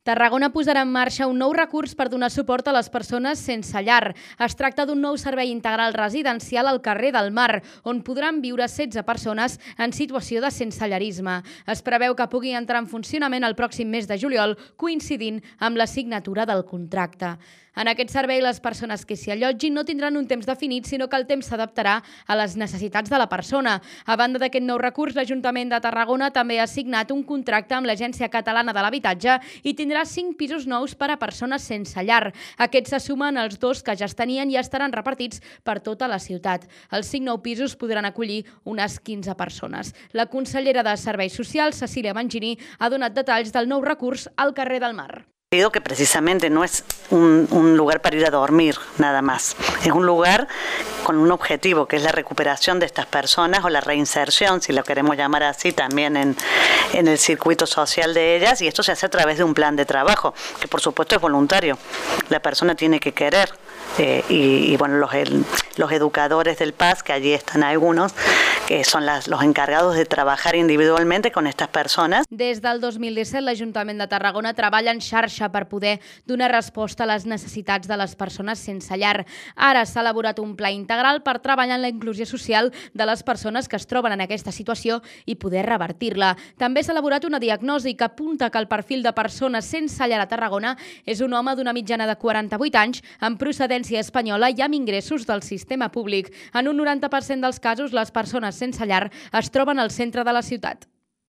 Tarragona posarà en marxa un nou recurs per donar suport a les persones sense llar. Es tracta d'un nou servei integral residencial al carrer del Mar, on podran viure 16 persones en situació de sensellarisme. Es preveu que pugui entrar en funcionament el pròxim mes de juliol, coincidint amb la signatura del contracte. En aquest servei, les persones que s'hi allotgin no tindran un temps definit, sinó que el temps s'adaptarà a les necessitats de la persona. A banda d'aquest nou recurs, l'Ajuntament de Tarragona també ha signat un contracte amb l'Agència Catalana de l'Habitatge i tindrà 5 pisos nous per a persones sense llar. Aquests se sumen als 2 que ja es tenien i estaran repartits per tota la ciutat. Els 5 nous pisos podran acollir unes 15 persones. La consellera de Serveis Socials, Cecília Mangini, ha donat detalls del nou recurs al carrer del Mar. Digo que precisamente no es un lugar para ir a dormir nada más, es un lugar con un objetivo que es la recuperación de estas personas o la reinserción, si lo queremos llamar así, también en el circuito social de ellas, y esto se hace a través de un plan de trabajo, que por supuesto es voluntario, la persona tiene que querer. Y bueno, los educadores del PAS, que allí están algunos, que son los encargados de trabajar individualmente con estas personas. Des del 2017, l'Ajuntament de Tarragona treballa en xarxa per poder donar resposta a les necessitats de les persones sense llar. Ara s'ha elaborat un pla integral per treballar en la inclusió social de les persones que es troben en aquesta situació i poder revertir-la. També s'ha elaborat una diagnosi que apunta que el perfil de persones sense llar a Tarragona és un home d'una mitjana de 48 anys amb procedència espanyola i amb ingressos del sistema públic. En un 90% dels casos, les persones sense llar es troben al centre de la ciutat.